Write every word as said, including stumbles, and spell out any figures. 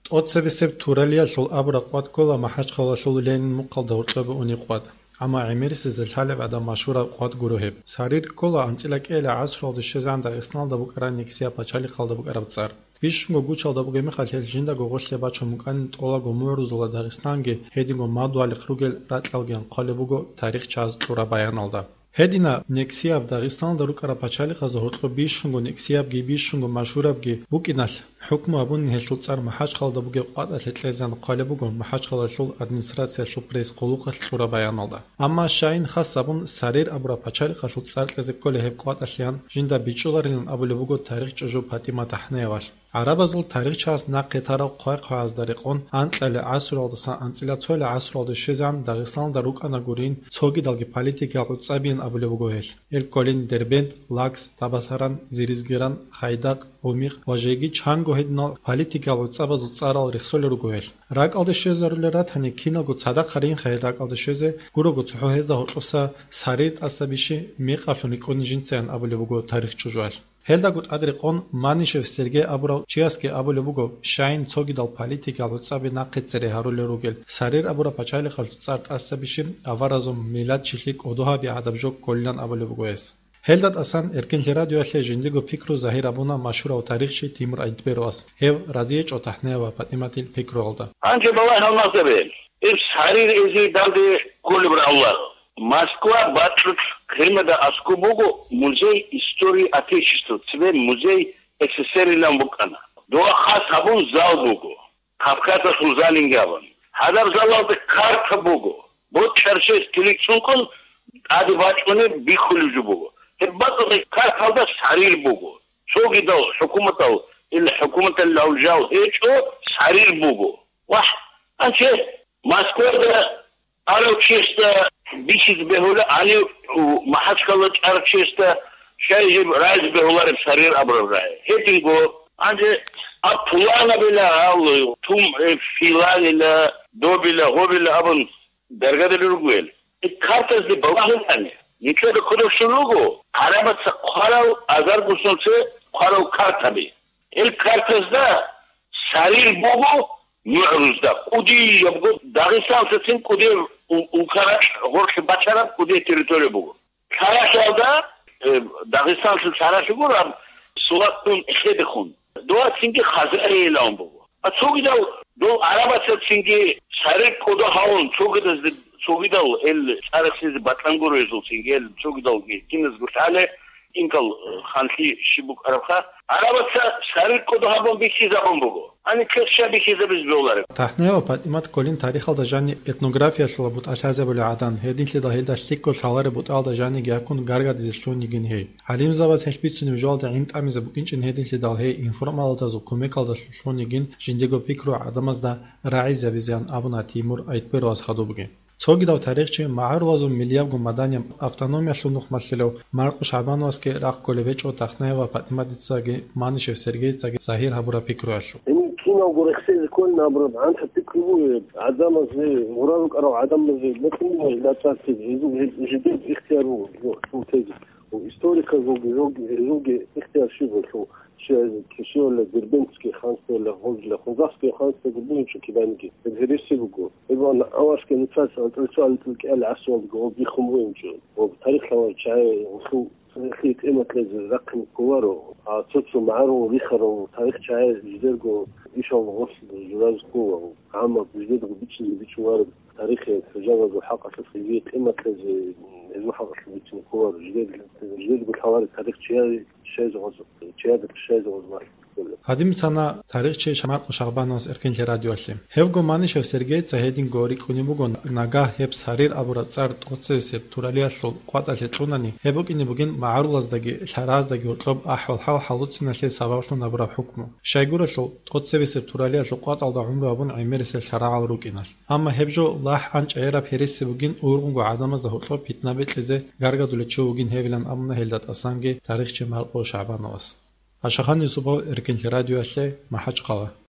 ТӀоцебесеб Туралиялъул абураб къват ккола МахӀачхъалалъул Ленин мухъалда гьоркьобе унеб къват. Амма гӀемерисезе лъалеб гӀадаб машгьураб къват гуро гьеб. Сарир ккола анцӀила кӀиялъа гӀасруялде щвезегӀан Дагъистаналда букӀараб Нексия пачалихъалда букӀараб цӀар. Бищунго гучалда бугеб мехалъ гьел жиндаго гъорлъе бачун букӀанин тӀолаго мугӀрузула Дагъистанги гьединго мадугьалихъ ругел ракьалги хъвалеб буго тарихчияз кьураб баяналда. Гьединаб нексияб Дагъистаналда рукӀараб пачалихъазда гьоркьоб бищунго нексиябги бищунго машгьурабги букӀиналъ, хӀукму гьабунин гьелъул цӀар МахӀачхъалда бугеб къватӀалъе кьезегӀан хъвалеб буго МахӀачхъалалъул администрациялъул пресс-къулухъалъ кьураб баяналда. Амма щайин хас гьабун, Сарир абураб пачалихъалъул цӀар кьезе кколей гьеб къватӀалъеян жинда бичӀчӀуларилан абулеб буго тарихчӀужу ПатӀимат ТахӀнеевалъ. ГӀарабазул тарихчияс нахъе тарал хъвай-хъваязда рекъон анкьалил гӀасруялдасан анцӀила цоялъа гӀасруялде щвезегӀан Дагъистаналда рукӀана гурин цогидалги политикиял гӀуцӀабиян абулеб буго гьелъ. Гьел кколин Дербент, Лакс, Табасаран, Зиризгиран, Хайдакъ, Гъумихъ ва жеги чанго гьединал политикиял гӀуцӀабазул цӀарал рехсолел руго гьелъ. РакӀалде щвезарулел ратани, киналго цадахъ гьаринха гьел ракӀалде щвезе, гурого цохӀо гьезда гьоркьоса Сарир тӀаса бищи мекъаблъун рикӀкӀуна жинцаян абулеб буго тарихчӀужуялъ. Гьелдаго тӀад рекъон Манишев Сергей абурав чиясги абулеб буго, щайин цогидал политикиял гӀуцӀаби нахъе цере гьарулел ругел, Сарир абураб пачалихъалъул цӀар тӀаса бищи аваразул миллатчилъи кӀодо гьаби гӀадаб жо кколилан абулеб буго гьес. Гьелда тӀасан Эркинлъи радиоялъе жиндиго пикру загьир гьабуна машгьурав тарихчи Тимур Айтберовас, гьев разиечӀо ТахӀнеева ПатӀиматил пикруялда. Гьанже балагь гьалмагъзабе, иб Сарир эзей данде кколеб равлар. Москва бакьулъ Крымда аскӀоб буго музей истории Отечества, цебе музей СССР-илан букӀана. Дова хас гьабун зал буго, Кавказалъул залинги абун. Гьадаб залалда карта буго, бочӀарщес килик цӀункӀун тӀаде бачӀунеб бихьулеб жо буго. Гьеб бакӀалда карталда Сарир буго. Цогидал хӀукуматал, ил хӀукуматалъул жал гьечӀо, Сарир буго. Вагь, анче Москвада арав чесда бихьизе бегьула, гьанив МахӀачхъала чӀарав чесда щай жиб райзе бегьулареб Сарир абураб рагӀи. Гьединго, гьанже а пуланабила гьал, тум, э, филанила, добила, гьобила абун даргадали ругел. Э, картазде балагьулани, ничего кодобщун руго, гӀарабаца хъварал, азарго сунце хъварал картаби. Ил картазда Сарир буго мугӀрузда, кӀудиябго дагъистанцацин кӀудияб у-, улкаракь гъорлъе бачараб кӀудияб территория буго. Лъаралъиялда, э, дагъистанлъул лъаралъи гураб, Сулатун эхедехун. Дова цинги Хазариялъун буго. А цогидал дол гӀарабацацинги Сарир кӀодо гьавун, цогидазде, цогидал ил цӀарахъизе батӀан гуро гьезул цинги, ил цогидалги киназго лъале, инкал, э, ханлъи щиб букӀарабха, гӀарабаца Сарир кӀодо гьабун бихьизабун буго. Гьаниб квес щай бихьизабизе бегьулареб? ТахӀнеева ПатӀимат кколин тарихалда жаниб этнографиялъула бутӀа лъазабулев гӀадан, гьединлъидал гьелда лъикӀго лъалареб бутӀаялда жаниги гьаккун гаргадизе лъугьунигин гьей. ГӀалимзабаз гьелъ бицунеб жоялда гӀин тӀамизе букӀинчӀин гьединлъидал гьей информалдазул кумекалда лъугьунигин жиндиего пикру гӀадамазда рагӀизабизеян абуна Тимур Айтберовас хадубги. Цогидав тарихчи магӀарулазул миллиябго маданияб автономиялъул нухмалъилав Маркъу ШагӀбановасги рахъ кколеб гьечӀо ТахӀнеева ПатӀиматицаги Манишев Сергейцаги загьир гьабураб пикруялъул. Гьениб киналго рехсезе кколин абураб гӀанхъа пикру бугеб, гӀадамазе, гъура рукӀарал гӀадамазе бокьун буго гьеб бацӀцӀадги, гьезул гьеб жидер ихтияр буго, жо, жо тезе. Историказулги, жо, гьезулги ихтияр щиб буго, щай, щивала Дербентский ханство, ла Хо-, ла Хогасский ханство бугинчӀо киданиги. Гьеб гьереси буго. Гьеб ан аварсги нуцаца анцӀила цо анцӀила кӀиялъ гӀасруялдаго гьоб биххун бугинчӀо. Гьоб тарихлъ авар чагӀи гьелъул цӀехи тӀиматлъазе рахъине кколаро, а цо-цо магӀарул рихарал тарихчагӀи жидерго ишал гъорлъ журазе ккола. Амма жидерго бичӀчӀизе бичӀчӀулареб тарихи хӀужалаго хӀакъалъулъ гьезие къиматлъазе, гьезул хӀакъалъулъ бицине кколаро. Жидер-, жидерго лъалареб тарих чияе щайзе гъоз-, чияда щайзе гъоз бахъ. Гьадин бицана тарихчи Маркъу ШагӀбановас Эркинлъи радиоялъе. Гьевго Манишев Сергейца гьединго рикӀкӀунеб буго, нагагь гьеб Сарир абураб цӀар тӀоцебесеб Туралиялъул къватӀалъе кьунани, гьеб букӀине бугин магӀарулаздаги лъараздаги гьоркьоб ахӀвал-хӀал хӀалуциналъе сабаблъун гьабураб хӀукму. Щайгурелъул, тӀоцебесеб Туралиялъул къватӀалда гӀумру гьабун гӀемерисел лъарагӀал рукӀиналъ. Амма гьеб жо лахӀ гьанчӀ гьераб гьереси бугин, ургъунго гӀадамазда гьоркьоб питна бекьизе гаргадулев чи вугин гьевилан абуна гьелда тӀасанги тарихчи Маркъу ШагӀбановас. Ашахан Юсупов, Эркинлъи радиоялъе, МахӀачхъала.